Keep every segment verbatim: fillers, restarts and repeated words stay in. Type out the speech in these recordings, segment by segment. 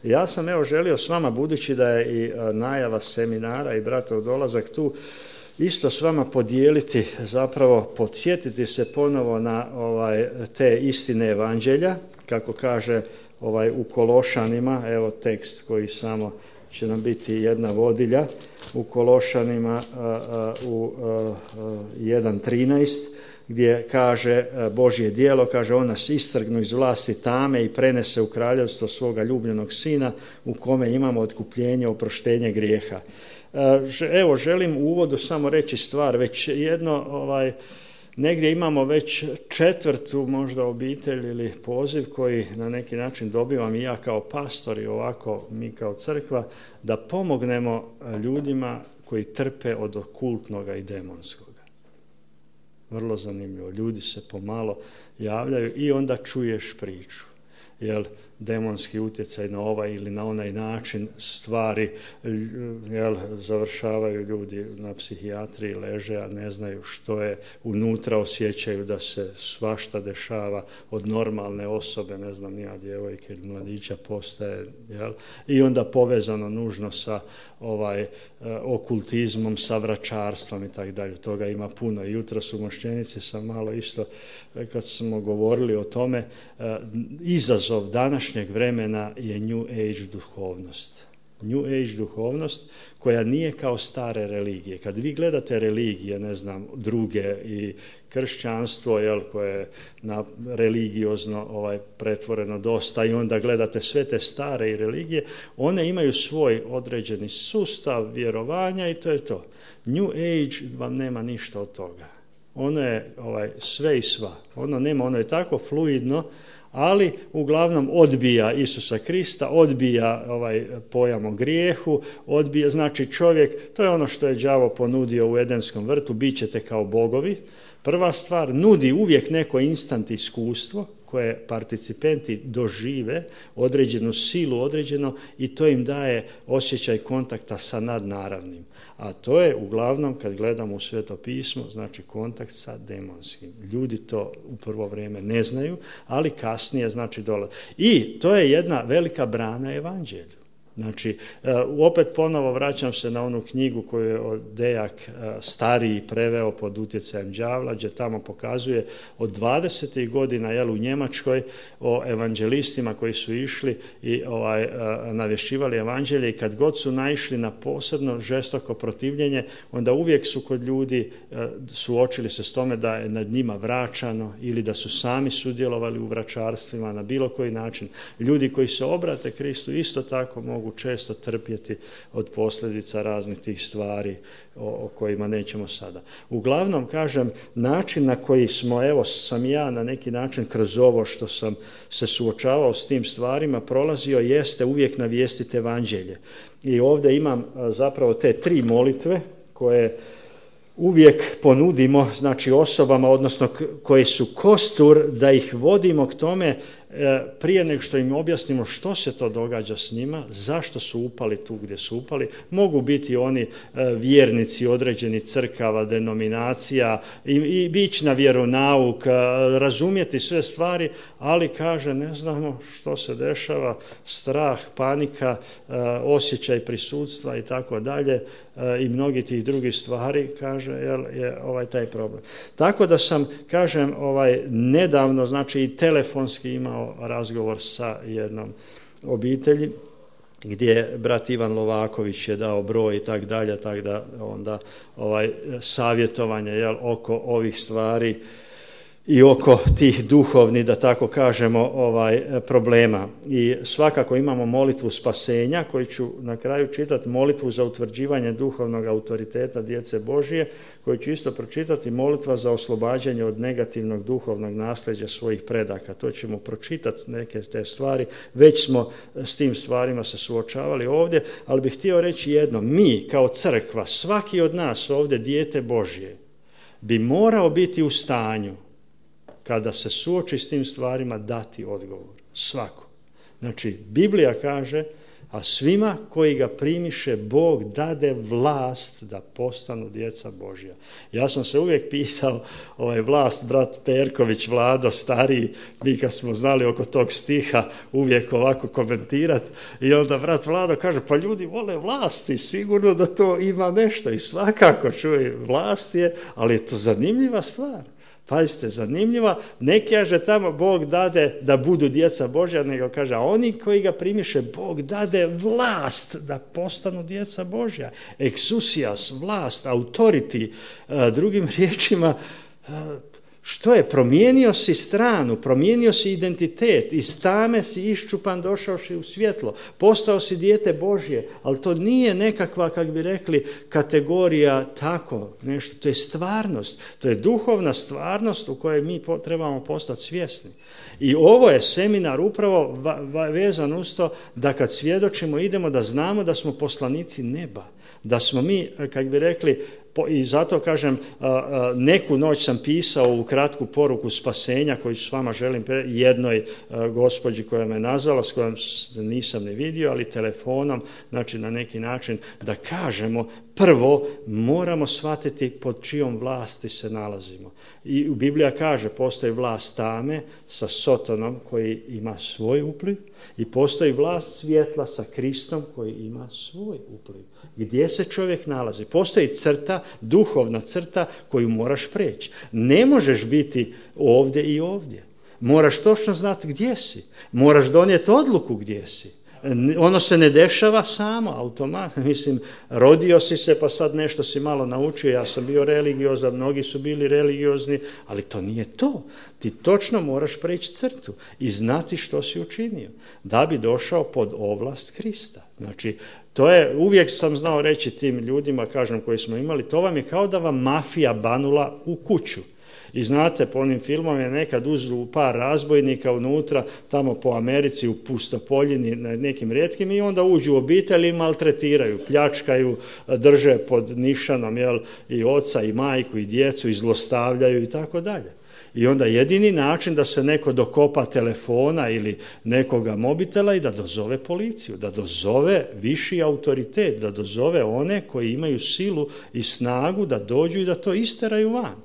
Ja sam evo želio s vama, budući da je i najava seminara i bratov dolazak tu, isto s vama podijeliti, zapravo podsjetiti se ponovo na ovaj, te istine evanđelja, kako kaže ovaj, u Kološanima, evo tekst koji samo će nam biti jedna vodilja, u Kološanima a, a, u jedan trinaest, gdje kaže Božje djelo, kaže on nas iscrgnu iz vlasti tame i prenese u kraljevstvo svoga ljubljenog sina u kome imamo otkupljenje, oproštenje grijeha. Evo, želim u uvodu samo reći stvar, već jedno, ovaj, negdje imamo već četvrtu možda obitelj ili poziv koji na neki način dobivam i ja kao pastor i ovako mi kao crkva, da pomognemo ljudima koji trpe od okultnoga i demonskoga. Vrlo zanimljivo. Ljudi se pomalo javljaju i onda čuješ priču. Jel, demonski utjecaj na ovaj ili na onaj način stvari, jel, završavaju ljudi na psihijatriji, leže, a ne znaju što je unutra, osjećaju da se svašta dešava od normalne osobe, ne znam, nija djevojke ili mladića postaje, jel, i onda povezano nužno sa ovaj okultizmom, sa vračarstvom i tako dalje. Toga ima puno. Jutros u Mošćenici sam malo isto, kad smo govorili o tome, izazov današnjeg vremena je New Age duhovnost. New Age duhovnost koja nije kao stare religije. Kad vi gledate religije, ne znam, druge i kršćanstvo, jel, koje je na religiozno ovaj, pretvoreno dosta, i onda gledate sve te stare i religije, one imaju svoj određeni sustav vjerovanja i to je to. New Age vam nema ništa od toga. Ono je ovaj, sve i sva. Ono nema, ono je tako fluidno, ali uglavnom odbija Isusa Krista, odbija ovaj pojam o grijehu, odbija, znači čovjek, to je ono što je đavo ponudio u Edenskom vrtu, bit ćete kao bogovi. Prva stvar, nudi uvijek neko instant iskustvo koje participenti dožive, određenu silu, određeno, i to im daje osjećaj kontakta sa nadnaravnim. A to je uglavnom, kad gledamo u Sveto pismo, znači kontakt sa demonskim. Ljudi to u prvo vrijeme ne znaju, ali kasnije znači dolaze. I to je jedna velika brana evanđelju. Znači, opet ponovo vraćam se na onu knjigu koju je Dejak stariji preveo pod utjecajem đavla, gdje tamo pokazuje od dvadesetih godina, jel, u Njemačkoj, o evanđelistima koji su išli i ovaj, navješćivali evanđelje, i kad god su naišli na posebno žestoko protivljenje, onda uvijek su kod ljudi suočili se s tome da je nad njima vraćano ili da su sami sudjelovali u vračarstvima na bilo koji način. Ljudi koji se obrate Kristu isto tako mogu često trpjeti od posljedica raznih tih stvari o, o kojima nećemo sada. Uglavnom, kažem, način na koji smo, evo sam ja na neki način kroz ovo što sam se suočavao s tim stvarima prolazio, jeste uvijek navijestiti evanđelje. I ovdje imam zapravo te tri molitve koje uvijek ponudimo, znači osobama, odnosno koje su kostur, da ih vodimo k tome prije nego što im objasnimo što se to događa s njima, zašto su upali tu gdje su upali. Mogu biti oni vjernici određenih crkava, denominacija i, i ići na vjeronauk, razumjeti sve stvari, ali kaže ne znamo što se dešava, strah, panika, osjećaj prisutstva i tako dalje i mnogi tih drugih stvari, kaže, jel, je ovaj taj problem. Tako da sam, kažem, ovaj nedavno, znači i telefonski imao razgovor sa jednom obitelji gdje brat Ivan Lovaković je dao broj i tak dalje, tak da onda ovaj savjetovanje, jel, oko ovih stvari i oko tih duhovnih, da tako kažemo, ovaj problema. I svakako imamo molitvu spasenja, koju ću na kraju čitati, molitvu za utvrđivanje duhovnog autoriteta djece Božije, koju ću isto pročitati, molitva za oslobađanje od negativnog duhovnog nasljeđa svojih predaka. To ćemo pročitati neke te stvari, već smo s tim stvarima se suočavali ovdje, ali bih htio reći jedno, mi kao crkva, svaki od nas ovdje dijete Božje, bi morao biti u stanju kada se suoči s tim stvarima dati odgovor. Svako. Znači, Biblija kaže a svima koji ga primiše Bog dade vlast da postanu djeca Božja. Ja sam se uvijek pitao, ovaj vlast, brat Perković, Vlado, stariji, mi kad smo znali oko tog stiha uvijek ovako komentirati, i onda brat Vlado kaže, pa ljudi vole vlasti, sigurno da to ima nešto, i svakako čuje, vlast je, ali je to zanimljiva stvar. Pazite, zanimljiva, ne kaže tamo Bog dade da budu djeca Božja, nego kaže, a oni koji ga primiše, Bog dade vlast da postanu djeca Božja. Exousias, vlast, authority, drugim riječima, što je? Promijenio si stranu, promijenio si identitet, iz tame si iščupan došavši u svjetlo, postao si dijete Božje, ali to nije nekakva, kak bi rekli, kategorija tako, nešto, to je stvarnost, to je duhovna stvarnost u kojoj mi trebamo postati svjesni. I ovo je seminar upravo vezan uz to da kad svjedočimo idemo da znamo da smo poslanici neba, da smo mi, kak bi rekli, i zato kažem, neku noć sam pisao u kratku poruku spasenja koju s vama želim jednoj gospođi koja me nazvala, s kojom nisam ne vidio, ali telefonom, znači na neki način da kažemo, prvo moramo shvatiti pod čijom vlasti se nalazimo. I Biblija kaže, postoji vlast tame sa Sotonom koji ima svoj upliv i postoji vlast svjetla sa Kristom koji ima svoj upliv. Gdje se čovjek nalazi? Postoji crta, duhovna crta koju moraš preći. Ne možeš biti ovdje i ovdje. Moraš točno znati gdje si. Moraš donijeti odluku gdje si. Ono se ne dešava samo, automatno. Mislim, rodio si se pa sad nešto si malo naučio, ja sam bio religiozan, mnogi su bili religiozni, ali to nije to. Ti točno moraš preći crtu i znati što si učinio, da bi došao pod ovlast Krista. Znači, to je, uvijek sam znao reći tim ljudima, kažem, koji smo imali, to vam je kao da vam mafija banula u kuću. I znate, po onim filmom je nekad uzru par razbojnika unutra, tamo po Americi u pustopoljini na nekim rijetkim i onda uđu u obitelj i maltretiraju, pljačkaju, drže pod nišanom jel, i oca i majku i djecu i zlostavljaju i tako dalje. I onda jedini način da se neko dokopa telefona ili nekoga mobitela i da dozove policiju, da dozove viši autoritet, da dozove one koji imaju silu i snagu da dođu i da to isteraju van.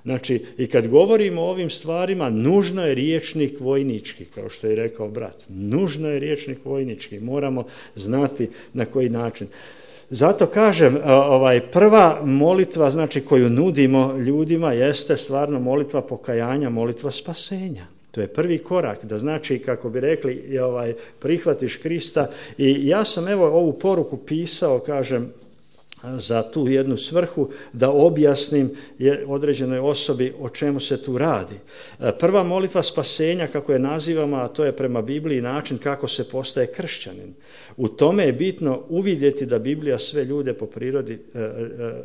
Znači, i kad govorimo o ovim stvarima, nužno je rječnik vojnički, kao što je rekao brat. Nužno je rječnik vojnički. Moramo znati na koji način. Zato kažem, ovaj, prva molitva, znači, koju nudimo ljudima, jeste stvarno molitva pokajanja, molitva spasenja. To je prvi korak, da znači, kako bi rekli, ovaj, prihvatiš Krista. I ja sam, evo, ovu poruku pisao, kažem, za tu jednu svrhu, da objasnim određenoj osobi o čemu se tu radi. Prva molitva spasenja, kako je nazivamo, a to je prema Bibliji način kako se postaje kršćanin. U tome je bitno uvidjeti da Biblija sve ljude po prirodi,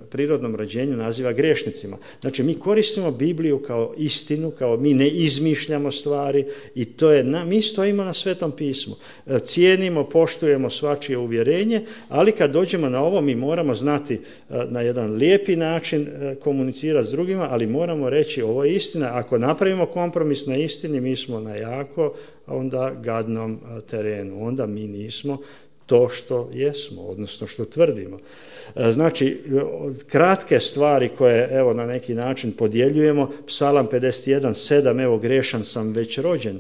prirodnom rođenju naziva grešnicima. Znači, mi koristimo Bibliju kao istinu, kao mi ne izmišljamo stvari i to je, na, mi stojimo na Svetom pismu. Cijenimo, poštujemo svačije uvjerenje, ali kad dođemo na ovo, mi moramo znati na jedan lijepi način komunicirati s drugima, ali moramo reći ovo je istina. Ako napravimo kompromis na istini, mi smo na jako onda gadnom terenu. Onda mi nismo to što jesmo, odnosno što tvrdimo. Znači, kratke stvari koje evo na neki način podjeljujemo, Psalam pedeset jedan sedam, evo grešan sam već rođen.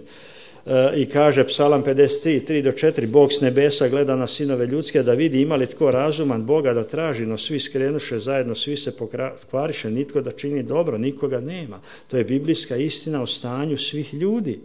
I kaže Psalam pedeset tri tri do četiri, Bog s nebesa gleda na sinove ljudske da vidi ima li tko razuman Boga da traži, no svi skrenuše zajedno, svi se pokvariše, nitko da čini dobro, nikoga nema. To je biblijska istina o stanju svih ljudi.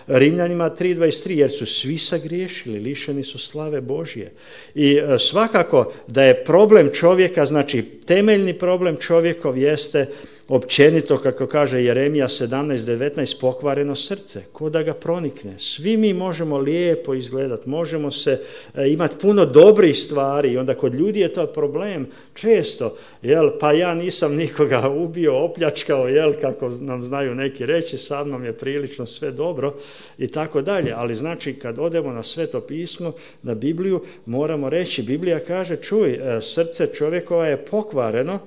Rimljanima tri dvadeset tri, jer su svi sagriješili, lišeni su slave Božje. I svakako da je problem čovjeka, znači temeljni problem čovjekov jeste općenito, kako kaže Jeremija sedamnaest devetnaest, pokvareno srce, ko da ga pronikne. Svi mi možemo lijepo izgledati, možemo se e, imati puno dobrih stvari i onda kod ljudi je to problem često, jel, pa ja nisam nikoga ubio, opljačkao, jel, kako nam znaju neki reći, sa mnom je prilično sve dobro i tako dalje. Ali znači kad odemo na Sveto pismo, na Bibliju, moramo reći, Biblija kaže, čuj, e, srce čovjekova je pokvareno.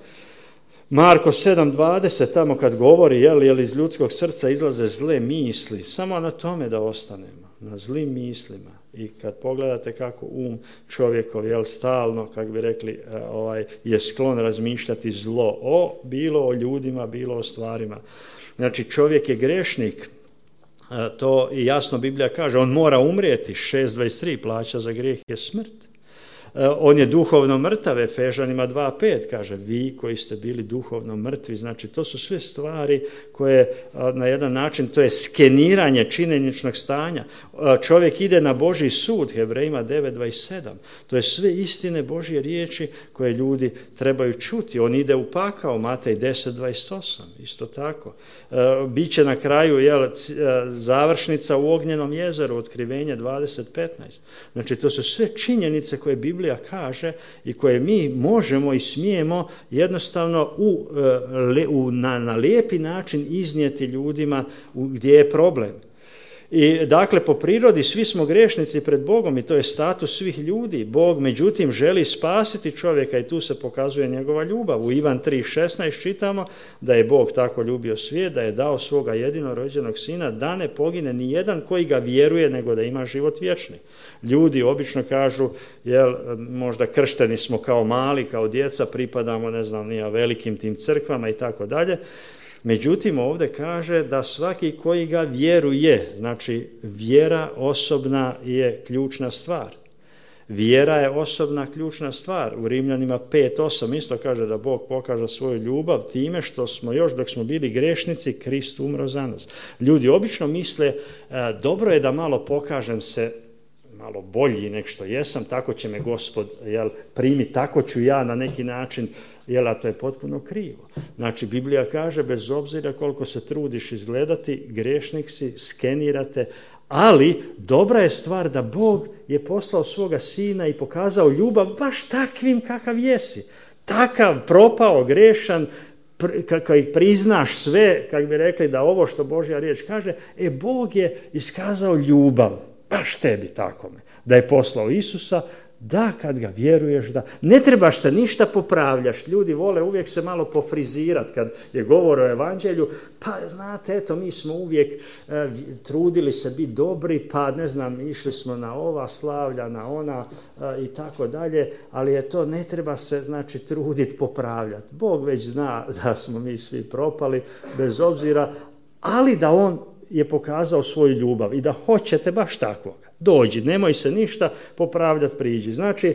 Marko sedam dvadeset, tamo kad govori, jel, jel iz ljudskog srca izlaze zle misli, samo na tome da ostanemo. na zlim mislima. I kad pogledate kako um čovjekov, jel, stalno, kako bi rekli, ovaj, je sklon razmišljati zlo, o, bilo o ljudima, bilo o stvarima. Znači, čovjek je grešnik, to i jasno Biblija kaže, on mora umrijeti, šest dvadeset tri, plaća za grijeh je smrt. On je duhovno mrtav, Efežanima dva pet kaže, vi koji ste bili duhovno mrtvi. Znači, to su sve stvari koje na jedan način, to je skeniranje činjeničnog stanja. Čovjek ide na Božji sud, Hebrejima devet dvadeset sedam. To je sve istine Božje riječi koje ljudi trebaju čuti. On ide u pakao, Matej deset dvadeset osam, isto tako. Biće na kraju, jel, završnica u ognjenom jezeru, Otkrivenje dvadeset petnaest. Znači, to su sve činjenice koje Biblija kaže i koje mi možemo i smijemo jednostavno u, u, na, na lijepi način iznijeti ljudima u, gdje je problem. I dakle, po prirodi svi smo grešnici pred Bogom i to je status svih ljudi. Bog, međutim, želi spasiti čovjeka i tu se pokazuje njegova ljubav. U Ivan tri šesnaest čitamo da je Bog tako ljubio svijet, da je dao svoga jedinorođenog sina, da ne pogine ni jedan koji ga vjeruje, nego da ima život vječni. Ljudi obično kažu, jel, možda kršteni smo kao mali, kao djeca, pripadamo, ne znam, nija velikim tim crkvama i tako dalje. Međutim, ovdje kaže da svaki koji ga vjeruje, znači vjera osobna je ključna stvar. Vjera je osobna ključna stvar. U Rimljanima pet osam isto kaže da Bog pokaže svoju ljubav time što smo još dok smo bili grešnici, Krist umro za nas. Ljudi obično misle, dobro je da malo pokažem se malo bolji nek što jesam, tako će me Gospod, jel, primi, tako ću ja na neki način, jel, a to je potpuno krivo. Znači, Biblija kaže, bez obzira koliko se trudiš izgledati, grešnik si, skenirate, ali dobra je stvar da Bog je poslao svoga sina i pokazao ljubav baš takvim kakav jesi. Takav propao, grešan, kad priznaš sve, kako bi rekli da ovo što Božja riječ kaže, e, Bog je iskazao ljubav. Baš tebi takome, da je poslao Isusa, da kad ga vjeruješ, da ne trebaš se ništa popravljaš. Ljudi vole uvijek se malo pofrizirati kad je govor o evanđelju, pa znate, eto, mi smo uvijek e, trudili se biti dobri, pa ne znam, išli smo na ova slavlja, na ona e, i tako dalje, ali je to, ne treba se, znači, truditi popravljati. Bog već zna da smo mi svi propali, bez obzira, ali da on je pokazao svoju ljubav i da hoćete baš takvog. Dođi, nemoj se ništa popravljati, priđi. Znači,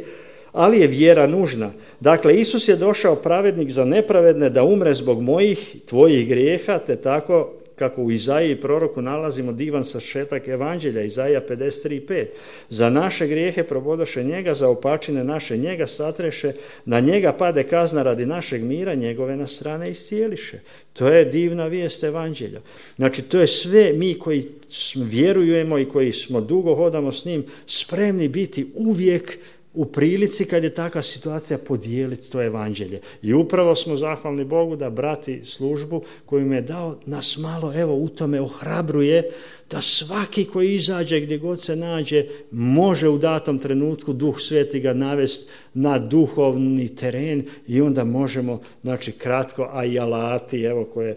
ali je vjera nužna. Dakle, Isus je došao pravednik za nepravedne da umre zbog mojih, tvojih grijeha, te tako kako u Izaiji proroku nalazimo divan sažetak evanđelja, Izaija pedeset tri pet. Za naše grijehe probodoše njega, za opačine naše njega satreše, na njega pade kazna radi našeg mira, njegove nas strane iscijeliše. To je divna vijest evanđelja. Znači, to je sve mi koji vjerujemo i koji smo dugo hodamo s njim, spremni biti uvijek u prilici kad je takva situacija podijeliti to evanđelje. I upravo smo zahvalni Bogu da brati službu koju mi je dao, nas malo, evo, u tome ohrabruje da svaki koji izađe gdje god se nađe može u datom trenutku Duh Sveti ga navesti na duhovni teren i onda možemo, znači, kratko, a i alati, evo, koje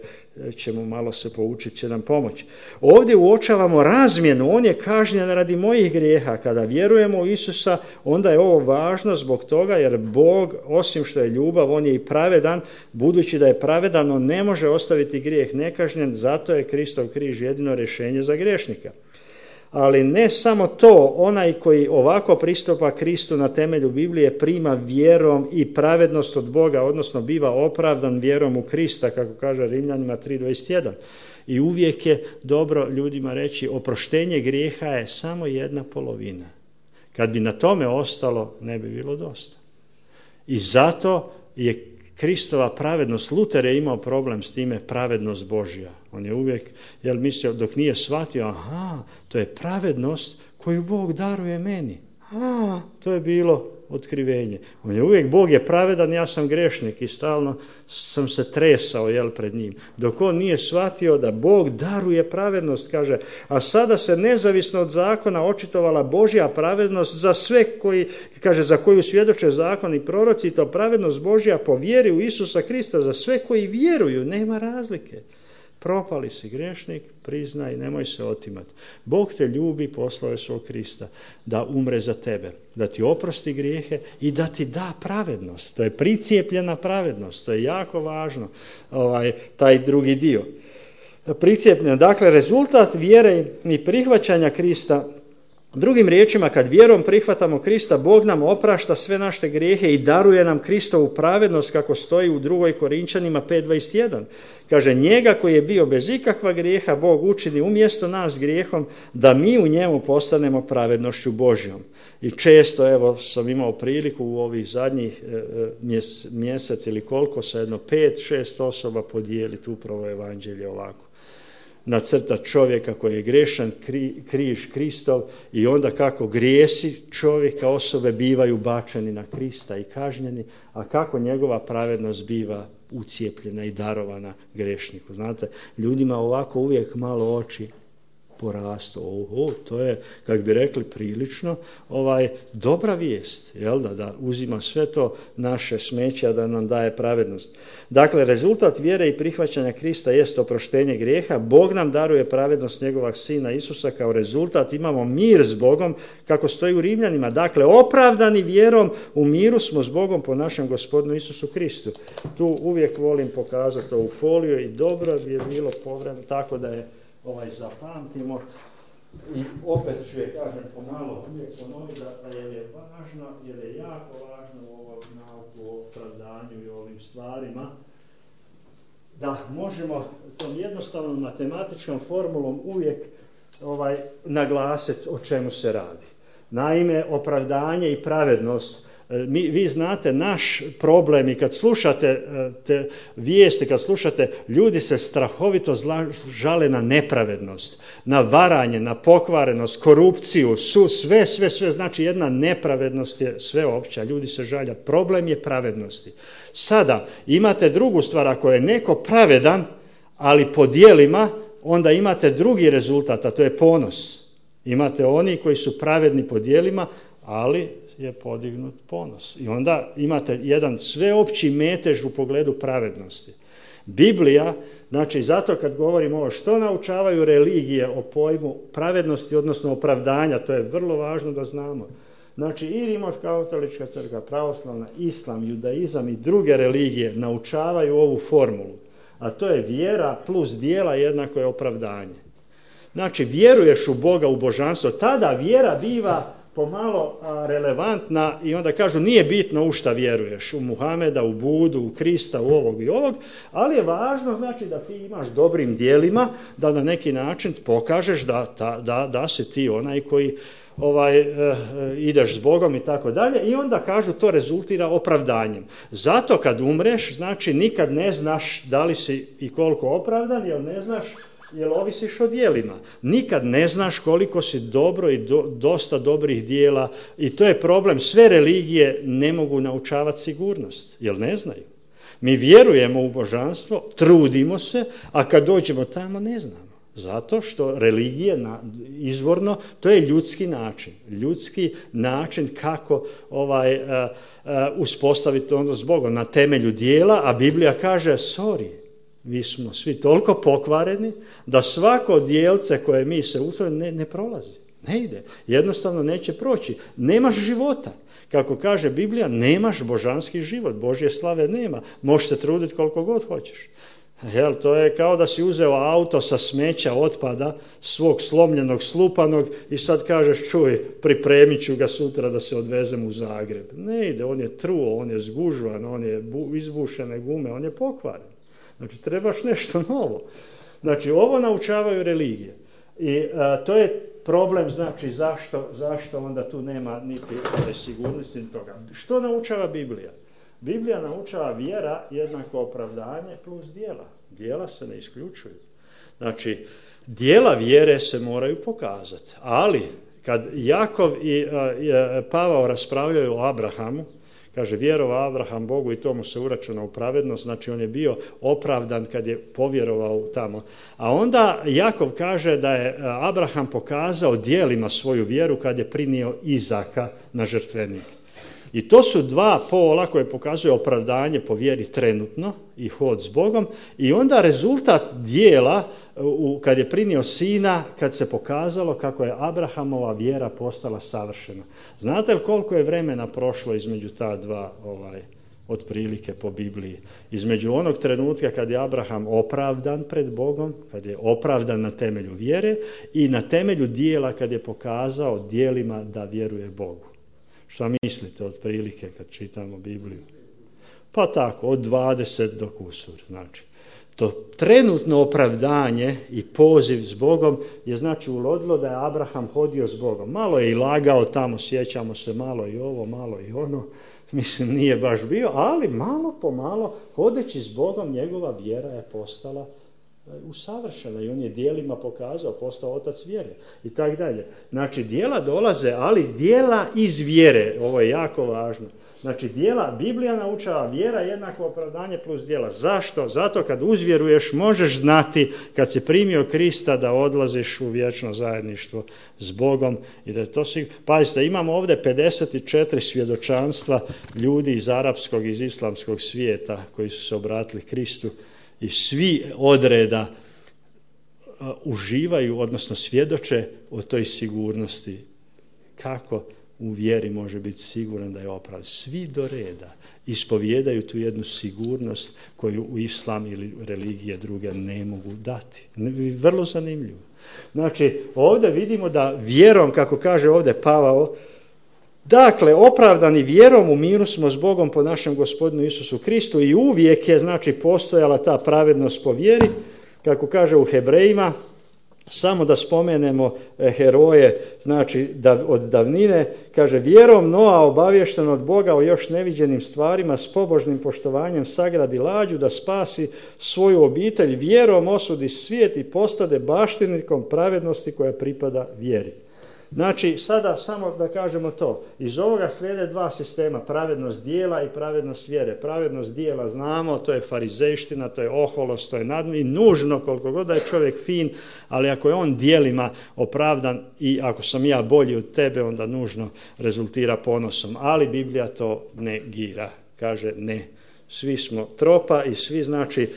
ćemo malo se poučiti, će nam pomoći. Ovdje uočavamo razmjenu, on je kažnjen radi mojih grijeha. Kada vjerujemo u Isusa, onda je ovo važno zbog toga jer Bog, osim što je ljubav, on je i pravedan. Budući da je pravedan, on ne može ostaviti grijeh nekažnjen, zato je Kristov križ jedino rješenje za griješnika. Ali ne samo to, onaj koji ovako pristupa Kristu na temelju Biblije prima vjerom i pravednost od Boga, odnosno biva opravdan vjerom u Krista, kako kaže Rimljanima tri dvadeset jedan. I uvijek je dobro ljudima reći, oproštenje grijeha je samo jedna polovina. Kad bi na tome ostalo, ne bi bilo dosta. I zato je Kristova pravednost, Luter je imao problem s time, pravednost Božja. On je uvijek, jel, mislio, dok nije shvatio, aha, to je pravednost koju Bog daruje meni. A, to je bilo otkrivenje. On je uvijek, Bog je pravedan, ja sam grešnik i stalno sam se tresao, jel, pred njim. Dok on nije shvatio da Bog daruje pravednost, kaže, a sada se nezavisno od zakona očitovala Božja pravednost za sve koji, kaže, za koju svjedoče zakon i proroci, to pravednost Božja po vjeri u Isusa Krista za sve koji vjeruju, nema razlike. propali si griješnik, priznaj, nemoj se otimati. Bog te ljubi, poslao je svog Krista da umre za tebe, da ti oprosti grijehe i da ti da pravednost. To je pricijepljena pravednost, to je jako važno, ovaj, taj drugi dio. Pricijepljena, dakle, rezultat vjere i prihvaćanja Krista. Drugim riječima, kad vjerom prihvatamo Krista, Bog nam oprašta sve naše grijehe i daruje nam Kristovu pravednost, kako stoji u drugoj Korinčanima pet dvadeset jedan. Kaže, njega koji je bio bez ikakva grijeha, Bog učini umjesto nas grijehom, da mi u njemu postanemo pravednošću Božjom. I često, evo, sam imao priliku u ovih zadnjih mjes, mjesec ili koliko, sa jedno pet, šest osoba podijeliti upravo evanđelje ovako. Nacrta čovjeka koji je grešan, kri, križ Kristov, i onda kako grijesi čovjeka, osobe bivaju bačeni na Krista i kažnjeni, a kako njegova pravednost biva ucijepljena i darovana grešniku. Znate, ljudima ovako uvijek malo oči porastu. Oho, to je, kako bi rekli, prilično ovaj, dobra vijest, jel da, da uzima sve to naše smeće, da nam daje pravednost. Dakle, rezultat vjere i prihvaćanja Krista jest oproštenje grijeha. Bog nam daruje pravednost njegovog Sina Isusa, kao rezultat imamo mir s Bogom, kako stoji u Rimljanima. Dakle, opravdani vjerom u miru smo s Bogom po našem Gospodinu Isusu Kristu. Tu uvijek volim pokazati ovu foliju i dobro bi je bilo povremeno, tako da je ovaj zapamtimo. I opet ću je, kažem, pomalo uvijek ponoviti da je, je važno, jer je jako važno u ovom nauku o opravdanju i ovim stvarima, da možemo tom jednostavnom matematičkom formulom uvijek ovaj, naglasiti o čemu se radi. Naime, opravdanje i pravednost, mi, vi znate naš problem, i kad slušate te vijesti, kad slušate, ljudi se strahovito zla, žale na nepravednost, na varanje, na pokvarenost, korupciju, su sve, sve, sve, znači jedna nepravednost je sveopća, ljudi se žalja. Problem je pravednosti. Sada imate drugu stvar, ako je neko pravedan, ali po djelima, onda imate drugi rezultat, a to je ponos. Imate oni koji su pravedni po djelima, ali je podignut ponos. I onda imate jedan sveopći metež u pogledu pravednosti. Biblija, znači zato kad govorimo ovo, što naučavaju religije o pojmu pravednosti, odnosno opravdanja, to je vrlo važno da znamo. Znači i Rimokatolička crkva, pravoslavna, islam, judaizam i druge religije naučavaju ovu formulu, a to je vjera plus djela jednako je opravdanje. Znači vjeruješ u Boga, u božanstvo, tada vjera biva pomalo relevantna i onda kažu nije bitno u šta vjeruješ, u Muhameda, u Budu, u Krista, u ovog i ovog, ali je važno znači da ti imaš dobrim djelima, da na neki način pokažeš da, da, da, da si ti onaj koji ovaj, eh, ideš s Bogom i tako dalje, i onda kažu to rezultira opravdanjem. Zato kad umreš, znači nikad ne znaš da li si i koliko opravdan, jer ne znaš jer ovisiš o djelima. Nikad ne znaš koliko si dobro i do, dosta dobrih djela, i to je problem. Sve religije ne mogu naučavati sigurnost, jer ne znaju. Mi vjerujemo u božanstvo, trudimo se, a kad dođemo tamo ne znamo. Zato što religije na, izvorno, to je ljudski način. Ljudski način kako ovaj, uh, uh, uspostaviti ono s Bogom na temelju djela, a Biblija kaže, sorry, mi smo svi toliko pokvareni da svako djelce koje mi se usvojimo ne, ne prolazi. Ne ide. Jednostavno neće proći. Nemaš života. Kako kaže Biblija, nemaš božanski život. Božje slave nema. Možeš se truditi koliko god hoćeš. Jel, to je kao da si uzeo auto sa smeća, otpada, svog slomljenog, slupanog, i sad kažeš, čuj, pripremit ću ga sutra da se odvezem u Zagreb. Ne ide, on je truo, on je zgužvan, on je bu, izbušene gume, on je pokvaren. Znači, trebaš nešto novo. Znači, ovo naučavaju religije. I a, to je problem, znači, zašto, zašto onda tu nema niti ove sigurnosti, niti toga. Što naučava Biblija? Biblija naučava vjera jednako opravdanje plus djela. Djela se ne isključuju. Znači, djela vjere se moraju pokazati. Ali, kad Jakov i, a, i a, Pavao raspravljaju o Abrahamu, kaže, vjerovao Abraham Bogu i to mu se uračuna u pravednost, znači on je bio opravdan kad je povjerovao tamo. A onda Jakov kaže da je Abraham pokazao djelima svoju vjeru kad je prinio Izaka na žrtvenik. I to su dva pola koje pokazuju opravdanje po vjeri trenutno i hod s Bogom i onda rezultat dijela kad je primio sina, kad se pokazalo kako je Abrahamova vjera postala savršena. Znate li koliko je vremena prošlo između ta dva ovaj, otprilike po Bibliji? Između onog trenutka kad je Abraham opravdan pred Bogom, kad je opravdan na temelju vjere i na temelju dijela kad je pokazao djelima da vjeruje Bogu. Šta mislite otprilike kad čitamo Bibliju? Pa tako, od dvadeset do kusur. Znači, to trenutno opravdanje i poziv s Bogom je znači ulodilo da je Abraham hodio s Bogom. Malo je i lagao tamo, sjećamo se, malo i ovo, malo i ono. Mislim, nije baš bio, ali malo po malo, hodeći s Bogom, njegova vjera je postala usavršena i on je djelima pokazao, postao otac vjere i tako dalje. Znači, djela dolaze, ali djela iz vjere, ovo je jako važno. Znači, djela, Biblija naučava vjera jednako opravdanje plus djela. Zašto? Zato kad uzvjeruješ možeš znati kad si primio Krista da odlaziš u vječno zajedništvo s Bogom i da je to svi... Pazite, imamo ovdje pedeset četiri svjedočanstva ljudi iz arapskog, iz islamskog svijeta koji su se obratili Kristu i svi odreda uh, uživaju, odnosno svjedoče o toj sigurnosti. Kako u vjeri može biti siguran da je opravdan? Svi do reda ispovijedaju tu jednu sigurnost koju u islam ili religije druge ne mogu dati. Vrlo zanimljivo. Znači, ovdje vidimo da vjerom, kako kaže ovdje Pavao, dakle, opravdani vjerom u miru smo s Bogom po našem Gospodinu Isusu Kristu i uvijek je, znači, postojala ta pravednost po vjeri, kako kaže u Hebrejima. Samo da spomenemo heroje, znači da, od davnine, kaže, vjerom Noa obavješten od Boga o još neviđenim stvarima s pobožnim poštovanjem sagradi lađu da spasi svoju obitelj, vjerom osudi svijet i postade baštinikom pravednosti koja pripada vjeri. Znači, sada samo da kažemo to. Iz ovoga slijede dva sistema, pravednost dijela i pravednost vjere. Pravednost dijela znamo, to je farizejština, to je oholost, to je nadmi, nužno koliko god da je čovjek fin, ali ako je on djelima opravdan i ako sam ja bolji od tebe, onda nužno rezultira ponosom. Ali Biblija to negira. Kaže ne. Svi smo tropa i svi, znači,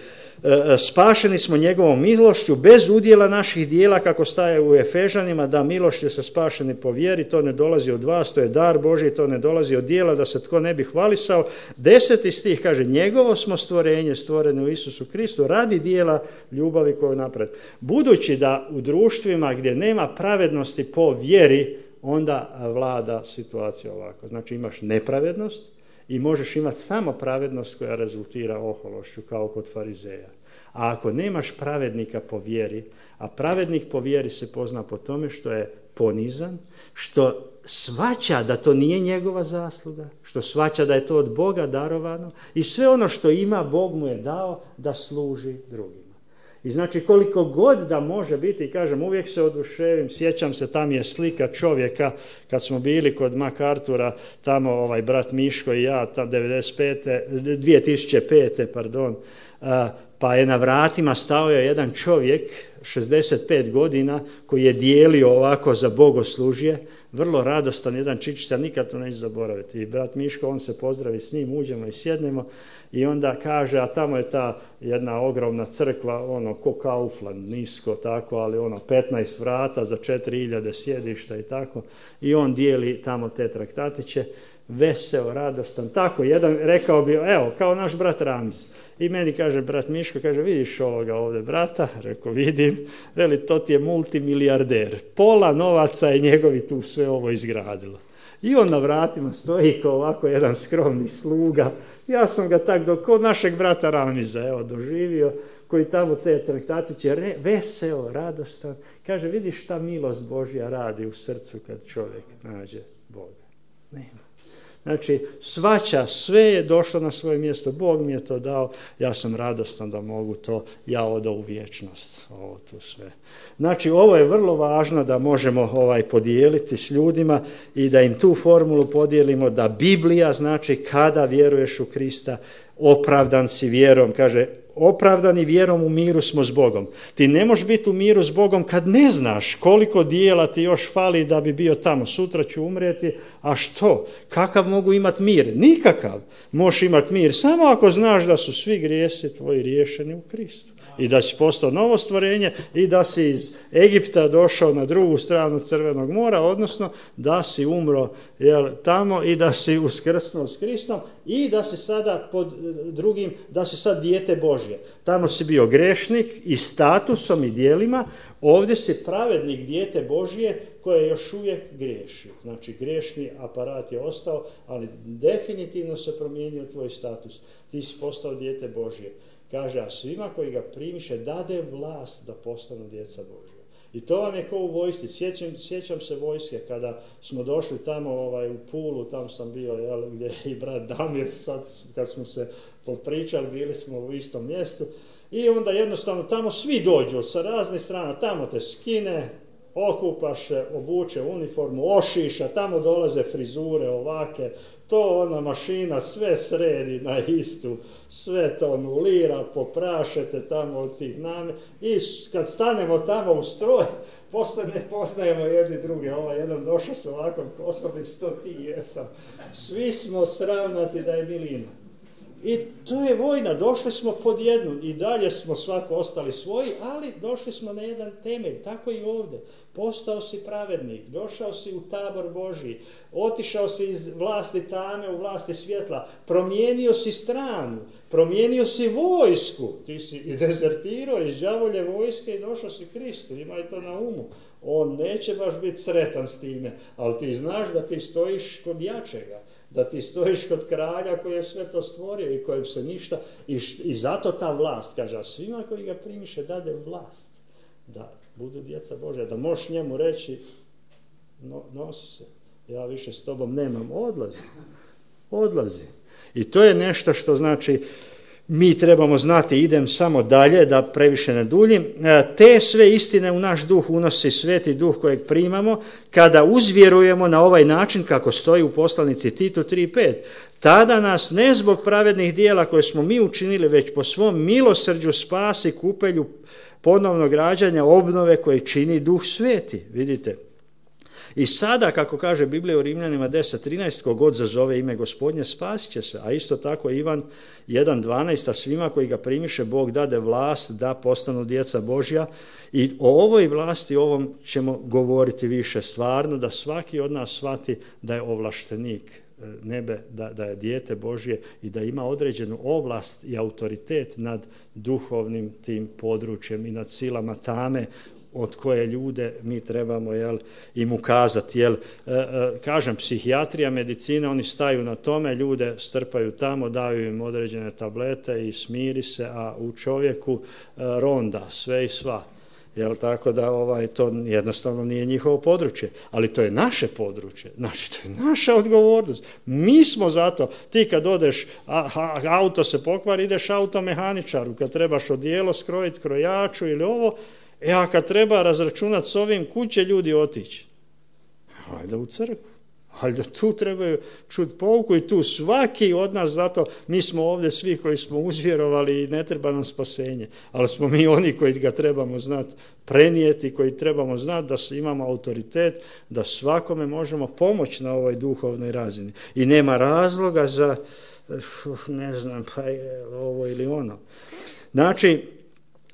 spašeni smo njegovom milošću bez udjela naših dijela, kako staje u Efežanima, da milošću se spašeni po vjeri, to ne dolazi od vas, to je dar Božji, to ne dolazi od dijela da se tko ne bi hvalisao. Deseti stih kaže, njegovo smo stvorenje, stvoreno u Isusu Kristu, radi dijela ljubavi koju napred. Budući da u društvima gdje nema pravednosti po vjeri, onda vlada situacija ovako. Znači, imaš nepravednost i možeš imati samo pravednost koja rezultira ohološću, kao kod farizeja. A ako nemaš pravednika po vjeri, a pravednik po vjeri se pozna po tome što je ponizan, što shvaća da to nije njegova zasluga, što shvaća da je to od Boga darovano i sve ono što ima, Bog mu je dao da služi drugima. I znači, koliko god da može biti, kažem, uvijek se oduševim, sjećam se, tam je slika čovjeka, kad smo bili kod MacArthura, tamo ovaj brat Miško i ja, tam devedeset pete, dvije tisuće pete, pardon, pa je na vratima stao je jedan čovjek, šezdeset pet godina, koji je dijelio ovako za bogoslužje, vrlo radostan, jedan čičica, nikad to neću zaboraviti. I brat Miško, on se pozdravi s njim, uđemo i sjednemo i onda kaže, a tamo je ta jedna ogromna crkva, ono, ko Kaufland, nisko tako, ali ono, petnaest vrata za četiri hiljade sjedišta i tako. I on dijeli tamo te traktatiće, veseo, radostan, tako, jedan, rekao bi, evo, kao naš brat Ramiz. I meni kaže brat Miško, kaže, vidiš ovoga ovdje brata? Rekao, vidim. Veli, to ti je multimilijarder. Pola novaca je njegovi tu sve ovo izgradilo. I on na vratima stoji kao ovako jedan skromni sluga. Ja sam ga tak do kod našeg brata Ramiza, evo, doživio, koji tamo te traktatiće, re, veseo, radostan. Kaže, vidiš šta milost Božja radi u srcu kad čovjek nađe Boga. Nema. Znači, svača, sve je došlo na svoje mjesto. Bog mi je to dao, ja sam radostan da mogu to, ja odo u vječnost. Ovo tu sve. Znači, ovo je vrlo važno da možemo ovaj podijeliti s ljudima i da im tu formulu podijelimo, da Biblija znači kada vjeruješ u Krista, opravdan si vjerom, kaže, opravdani vjerom, u miru smo s Bogom. Ti ne možeš biti u miru s Bogom kad ne znaš koliko dijela ti još fali da bi bio tamo. Sutra ću umrijeti, a što? Kakav mogu imati mir? Nikakav. Možeš imati mir samo ako znaš da su svi grijesi tvoji riješeni u Kristu. I da si postao novo stvorenje i da si iz Egipta došao na drugu stranu Crvenog mora, odnosno da si umro jel, tamo i da si uskrsnuo s Kristom i da si sada pod drugim, da si sad dijete Božje. Tamo si bio grešnik i statusom i djelima, ovdje si pravednik, dijete Božje koje još uvijek griješi. Znači grešni aparat je ostao, ali definitivno se promijenio tvoj status. Ti si postao dijete Božje. Kaže, a svima koji ga primiše dade vlast da postanu djeca Božja. I to vam je kao u vojsci. Sjećam, sjećam se vojske kada smo došli tamo ovaj, u Pulu, tam sam bio, jel, gdje je i brat Damir, sad kad smo se popričali, bili smo u istom mjestu. I onda jednostavno tamo svi dođu sa raznih strana, tamo te skine, okupaš se, obuče uniformu, ošiša, tamo dolaze frizure ovake, to ona mašina sve sredi na istu, sve to anulira, poprašete tamo od tih name i kad stanemo tamo u stroj, posle ne poznajemo jedni druge, ovaj jedan došao s ovakvom kosom i sto ti jesam. Svi smo sravnati da je milina. I to je vojna, došli smo pod jednu i dalje smo svako ostali svoji, ali došli smo na jedan temelj, tako i ovdje. Postao si pravednik, došao si u tabor Božji, otišao si iz vlasti tame u vlasti svjetla, promijenio si stranu, promijenio si vojsku, ti si i dezertirao iz đavolje vojske i došao si Kristu, imaj to na umu. On neće baš biti sretan s time, ali ti znaš da ti stojiš kod jačega, da ti stojiš kod kralja koji je sve to stvorio i kojem se ništa, i, i zato ta vlast, kaže, a svima koji ga primiše dade vlast, da budu djeca Božja, da možeš njemu reći, no, nosi se, ja više s tobom nemam, odlazi, odlazi. I to je nešto što znači, mi trebamo znati, idem samo dalje, da previše ne duljim, te sve istine u naš duh unosi Sveti Duh kojeg primamo, kada uzvjerujemo na ovaj način kako stoji u poslanici Titu tri pet. Tada nas ne zbog pravednih dijela koje smo mi učinili, već po svom milosrđu spasi kupelju ponovnog rađanja, obnove koje čini Duh Sveti. Vidite. I sada, kako kaže Biblija u Rimljanima deset trinaest, kogod zazove ime Gospodnje spasit će se. A isto tako Ivan jedan dvanaest, a svima koji ga primiše Bog dade vlast da postanu djeca Božja. I o ovoj vlasti, ovom ćemo govoriti više stvarno, da svaki od nas shvati da je ovlaštenik nebe, da, da je dijete Božje i da ima određenu ovlast i autoritet nad duhovnim tim područjem i nad silama tame, od koje ljude mi trebamo jel, im ukazati. Jel, e, e, kažem, psihijatrija, medicina, oni staju na tome, ljude strpaju tamo, daju im određene tablete i smiri se, a u čovjeku e, ronda sve i sva. Jel, tako da ovaj, to jednostavno nije njihovo područje, ali to je naše područje, znači to je naša odgovornost. Mi smo zato, ti kad odeš, a, a, auto se pokvari, ideš automehaničaru, kad trebaš odijelo skrojiti krojaču ili ovo, e a kad treba razračunati s ovim, kud će ljudi otići? Valjda u crkvu. Valjda tu trebaju čuti pouku i tu svaki od nas, zato mi smo ovdje svi koji smo uzvjerovali i ne treba nam spasenje, ali smo mi oni koji ga trebamo znati prenijeti, koji trebamo znati da imamo autoritet, da svakome možemo pomoći na ovoj duhovnoj razini. I nema razloga za, ne znam, pa je ovo ili ono. Znači,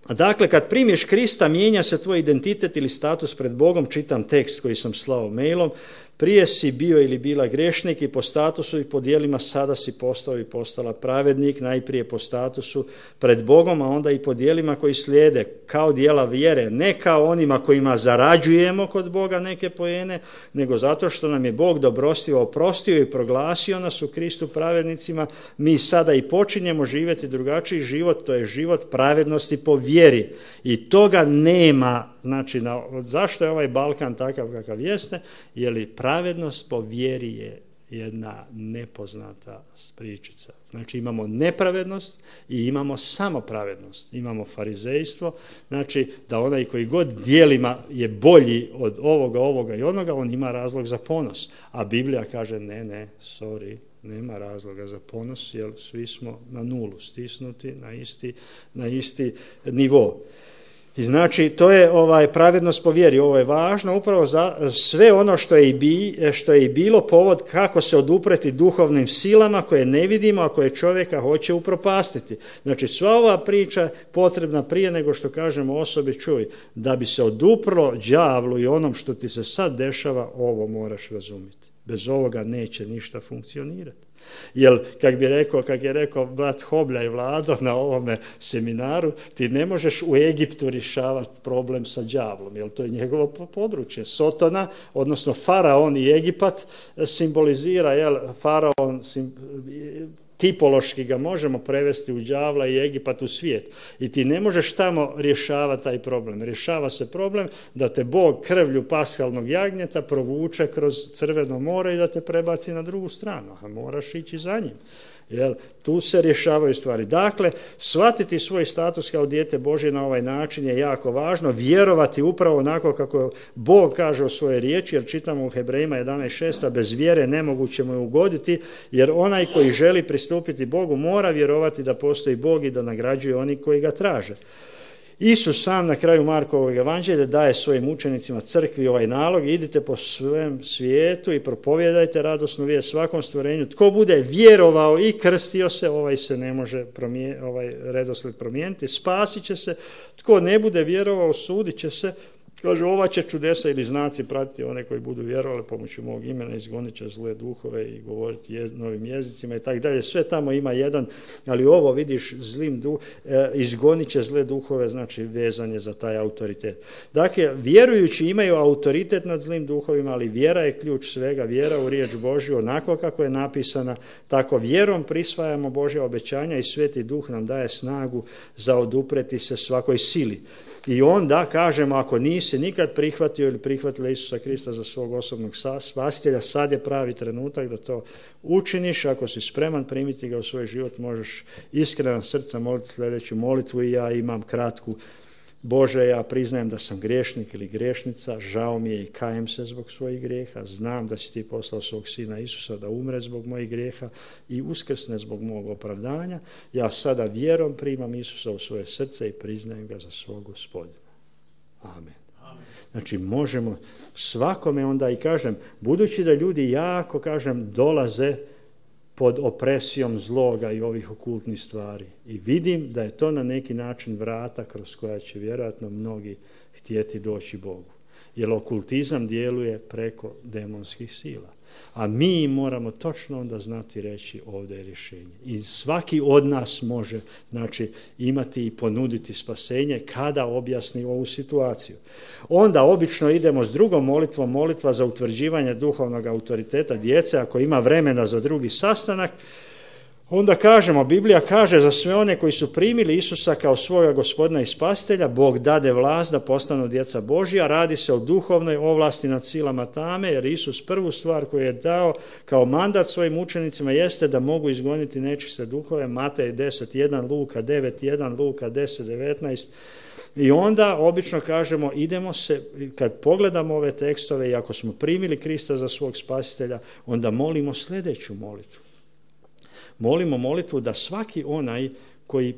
dakle, kad primiješ Krista, mijenja se tvoj identitet ili status pred Bogom, čitam tekst koji sam slao mailom, prije si bio ili bila grešnik i po statusu i po djelima, sada si postao i postala pravednik, najprije po statusu pred Bogom, a onda i po djelima koji slijede, kao djela vjere, ne kao onima kojima zarađujemo kod Boga neke poene, nego zato što nam je Bog dobrostivo oprostio i proglasio nas u Kristu pravednicima, mi sada i počinjemo živjeti drugačiji život, to je život pravednosti po vjeri. I toga nema, znači, na, zašto je ovaj Balkan takav kakav jeste, je li pravednost po vjeri je jedna nepoznata pričica. Znači imamo nepravednost i imamo samo pravednost. Imamo farizejstvo, znači da onaj koji god djelima je bolji od ovoga, ovoga i onoga, on ima razlog za ponos. A Biblija kaže ne, ne, sorry, Nema razloga za ponos, jer svi smo na nulu stisnuti, na isti, na isti nivo. I znači, to je ovaj pravednost po vjeri. Ovo je važno upravo za sve ono što je, i bi, što je i bilo povod kako se odupreti duhovnim silama koje ne vidimo, a koje čovjeka hoće upropastiti. Znači, sva ova priča potrebna prije nego što kažemo osobi, čuj, da bi se oduprlo đavlu i onom što ti se sad dešava, ovo moraš razumjeti. Bez ovoga neće ništa funkcionirati. Jer, kak bi rekao, kak je rekao brat Hoblja i Vlado na ovome seminaru, ti ne možeš u Egiptu rješavati problem sa đavlom, jer to je njegovo područje. Sotona, odnosno faraon i Egipat simbolizira, jel, faraon sim, tipološki ga možemo prevesti u đavla i Egipat u svijet. I ti ne možeš tamo rješavati taj problem. Rješava se problem da te Bog krvlju paskalnog jagnjeta provuče kroz Crveno more i da te prebaci na drugu stranu. A moraš ići za njim. Jel, tu se rješavaju stvari. Dakle, shvatiti svoj status kao dijete Božje na ovaj način je jako važno. Vjerovati upravo onako kako Bog kaže u svojoj riječi, jer čitamo u Hebrejima jedanaest šest, a bez vjere nemoguće mu je ugoditi, jer onaj koji želi pristupiti Bogu mora vjerovati da postoji Bog i da nagrađuje oni koji ga traže. Isus sam na kraju Markovog evanđelja daje svojim učenicima, crkvi, ovaj nalog: idite po svem svijetu i propovijedajte radosnu vijest svakom stvorenju. Tko bude vjerovao i krstio se, ovaj se ne može promije, ovaj redoslijed promijeniti, spasit će se. Tko ne bude vjerovao, sudit će se. Kaže, ova će čudesa ili znaci pratiti one koji budu vjerovali pomoću mog imena, izgonit će zle duhove i govoriti jez, novim jezicima i tako dalje. Sve tamo ima jedan, ali ovo vidiš, zlim duh, e, izgonit će zle duhove, znači vezan je za taj autoritet. Dakle, vjerujući imaju autoritet nad zlim duhovima, ali vjera je ključ svega, vjera u riječ Božju, onako kako je napisana, tako vjerom prisvajamo Božja obećanja i Sveti Duh nam daje snagu za odupreti se svakoj sili. I onda kažemo, ako nisi nikad prihvatio ili prihvatila Isusa Krista za svog osobnog spasitelja, sad je pravi trenutak da to učiniš. Ako si spreman primiti ga u svoj život, možeš iskreno srca moliti sljedeću molitvu. I ja imam kratku: Bože, ja priznajem da sam griješnik ili griješnica, žao mi je i kajem se zbog svojih grijeha, znam da si ti poslao svog sina Isusa da umre zbog mojih grijeha i uskrsne zbog mog opravdanja. Ja sada vjerom primam Isusa u svoje srce i priznajem ga za svog Gospodina. Amen. Amen. Znači, možemo svakome onda, i kažem, budući da ljudi jako, kažem, dolaze pod opresijom zloga i ovih okultnih stvari. I vidim da je to na neki način vrata kroz koja će vjerojatno mnogi htjeti doći Bogu. Jer okultizam djeluje preko demonskih sila. A mi moramo točno onda znati reći, ovdje je rješenje. I svaki od nas može, znači, imati i ponuditi spasenje kada objasni ovu situaciju. Onda obično idemo s drugom molitvom, molitva za utvrđivanje duhovnog autoriteta djece. Ako ima vremena za drugi sastanak, onda kažemo, Biblija kaže za sve one koji su primili Isusa kao svoga Gospodina i Spasitelja, Bog dade vlast da postanu djeca Božja. Radi se o duhovnoj ovlasti nad silama tame, jer Isus prvu stvar koju je dao kao mandat svojim učenicima jeste da mogu izgoniti nečiste duhove. Matej deset jedan, Luka devet jedan, Luka deset devetnaest. I onda obično kažemo, idemo se, kad pogledamo ove tekstove i ako smo primili Krista za svog Spasitelja, onda molimo sljedeću molitvu. Molimo molitvu da svaki onaj koji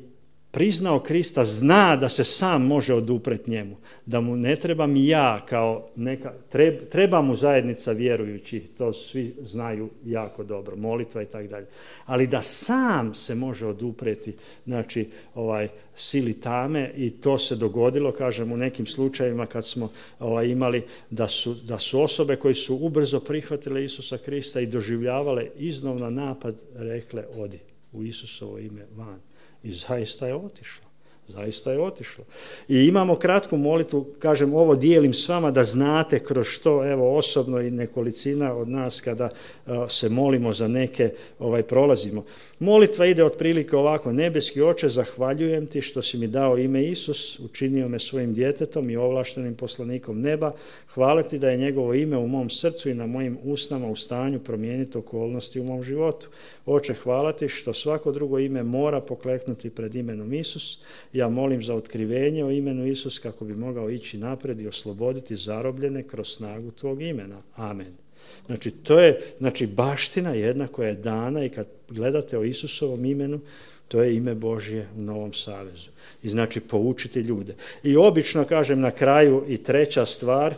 priznao Krista zna da se sam može odupret njemu, da mu ne trebam ja kao neka, treba, treba mu zajednica vjerujući, to svi znaju jako dobro, molitva i tako dalje, ali da sam se može odupreti, znači ovaj sili tame. I to se dogodilo, kažem, u nekim slučajevima kad smo ovaj, imali da su, da su osobe koji su ubrzo prihvatile Isusa Krista i doživljavale iznova napad, rekle, odi u Isusovo ime van. I zaista je otišlo. Zaista je otišlo. I imamo kratku molitvu, kažem, ovo dijelim s vama da znate kroz što, evo, osobno i nekolicina od nas kada uh, se molimo za neke, ovaj, prolazimo. Molitva ide otprilike ovako: nebeski Oče, zahvaljujem ti što si mi dao ime Isus, učinio me svojim djetetom i ovlaštenim poslanikom neba. Hvala ti da je njegovo ime u mom srcu i na mojim usnama u stanju promijeniti okolnosti u mom životu. Oče, hvala ti što svako drugo ime mora pokleknuti pred imenom Isus. Ja molim za otkrivenje o imenu Isus kako bi mogao ići naprijed i osloboditi zarobljene kroz snagu tvog imena. Amen. Znači, to je znači, baština jedna koja je dana i kad gledate o Isusovom imenu, to je ime Božje u Novom Savezu. I znači poučiti ljude. I obično, kažem, na kraju i treća stvar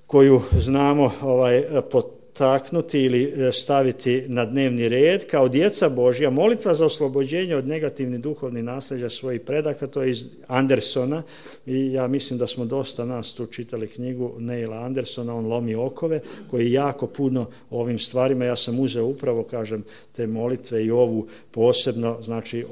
koju znamo ovaj, potaknuti ili staviti na dnevni red, kao djeca Božja, molitva za oslobođenje od negativnih duhovnih nasljeđa svojih predaka, to je iz Andersona i ja mislim da smo dosta nas tu čitali knjigu Neila Andersona, on lomi okove, koji jako puno o ovim stvarima, ja sam uzeo upravo, kažem, te molitve i ovu posebno, znači,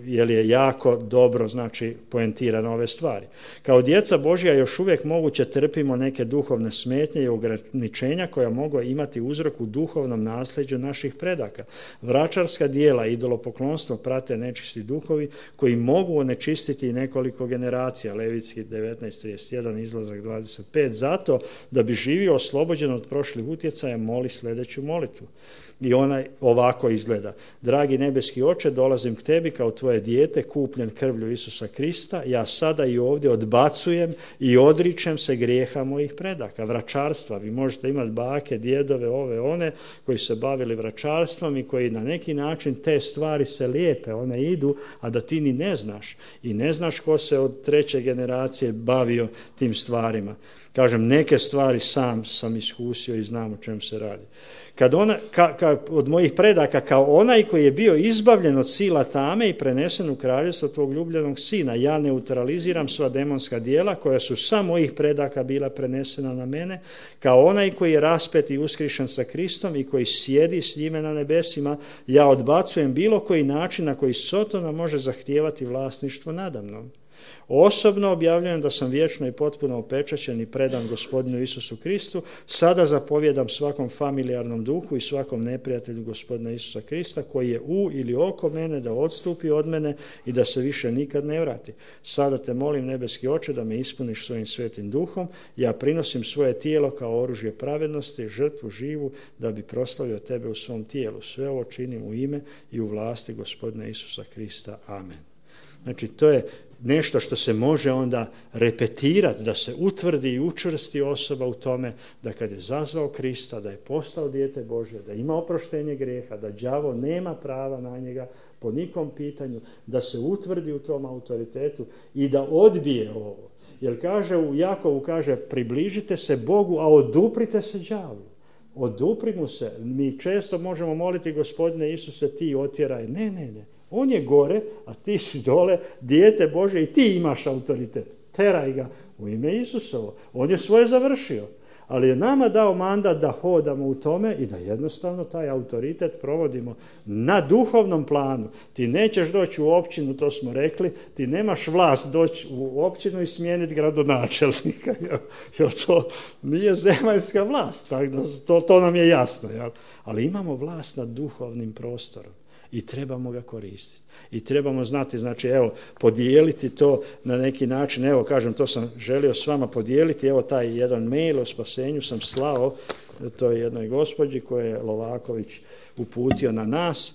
jer je jako dobro, znači, poentirano ove stvari. Kao djeca Božja još uvijek moguće trpimo neke duhovne smetnje i ograničenja koja mogu imati uzrok u duhovnom nasljeđu naših predaka. Vračarska dijela i idolopoklonstvo prate nečisti duhovi koji mogu onečistiti nekoliko generacija. Levitski devetnaest trideset jedan, izlazak dvadeset pet. Zato da bi živio oslobođen od prošlih utjecaja, moli sljedeću molitvu. I ona ovako izgleda. Dragi nebeski Oče, dolazim k tebi kao tvoje dijete, kupljen krvlju Isusa Krista. Ja sada i ovdje odbacujem i odričem se grijeha mojih predaka, vračarstva. Vi možete imati bake, djedove, ove, one koji se bavili vračarstvom i koji na neki način te stvari se lijepe, one idu, a da ti ni ne znaš. I ne znaš ko se od treće generacije bavio tim stvarima. Kažem, neke stvari sam sam iskusio i znam o čem se radi. Kad ona, ka, ka, od mojih predaka, kao onaj koji je bio izbavljen od sila tame i prenesen u kraljevstvo tvog ljubljenog sina, ja neutraliziram sva demonska djela koja su sa mojih predaka bila prenesena na mene, kao onaj koji je raspet i uskrišen sa Kristom i koji sjedi s njime na nebesima, ja odbacujem bilo koji način na koji Sotona može zahtijevati vlasništvo nadamnom. Osobno objavljujem da sam vječno i potpuno opečaćen i predan Gospodinu Isusu Kristu. Sada zapovjedam svakom familijarnom duhu i svakom neprijatelju Gospodina Isusa Krista koji je u ili oko mene da odstupi od mene i da se više nikad ne vrati. Sada te molim, nebeski Oče, da me ispuniš svojim svetim duhom. Ja prinosim svoje tijelo kao oružje pravednosti, žrtvu živu, da bi proslavio tebe u svom tijelu. Sve ovo činim u ime i u vlasti Gospodina Isusa Krista. Amen. Znači, to je nešto što se može onda repetirati, da se utvrdi i učvrsti osoba u tome da kad je zazvao Krista, da je postao dijete Božje, da ima oproštenje grijeha, da đavo nema prava na njega po nikom pitanju, da se utvrdi u tom autoritetu i da odbije ovo. Jer kaže u Jakovu, kaže, približite se Bogu, a oduprite se đavlu. Odupri mu se. Mi često možemo moliti, Gospodine Isuse, ti otjeraj. Ne, ne, ne. On je gore, a ti si dole, dijete Bože, i ti imaš autoritet. Teraj ga u ime Isusovo. On je svoje završio. Ali je nama dao mandat da hodamo u tome i da jednostavno taj autoritet provodimo na duhovnom planu. Ti nećeš doći u općinu, to smo rekli, ti nemaš vlast doći u općinu i smijeniti gradonačelnika. Jer to nije zemaljska vlast, to, to nam je jasno. Jel? Ali imamo vlast nad duhovnim prostorom. I trebamo ga koristiti. I trebamo znati, znači, evo, podijeliti to na neki način. Evo, kažem, to sam želio s vama podijeliti. Evo, taj jedan mail o spasenju sam slao toj jednoj gospođi koje je Lovaković uputio na nas.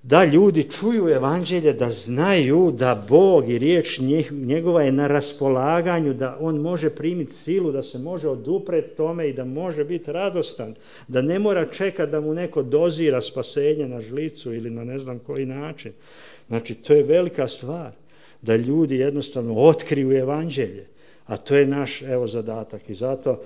Da ljudi čuju evanđelje, da znaju da Bog i riječ njegova je na raspolaganju, da on može primiti silu, da se može oduprijeti tome i da može biti radostan, da ne mora čekati da mu neko dozira spasenje na žlicu ili na ne znam koji način. Znači, to je velika stvar, da ljudi jednostavno otkriju evanđelje, a to je naš, evo, zadatak. I zato,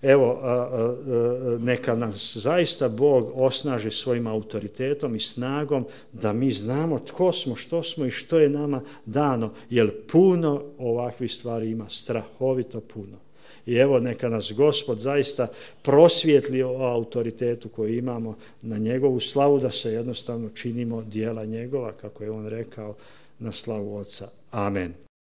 evo, a, a, a, neka nas zaista Bog osnaži svojim autoritetom i snagom da mi znamo tko smo, što smo i što je nama dano, jer puno ovakvih stvari ima, strahovito puno. I evo, neka nas Gospod zaista prosvijetli o autoritetu koji imamo na njegovu slavu, da se jednostavno činimo djela njegova, kako je on rekao, na slavu Oca. Amen.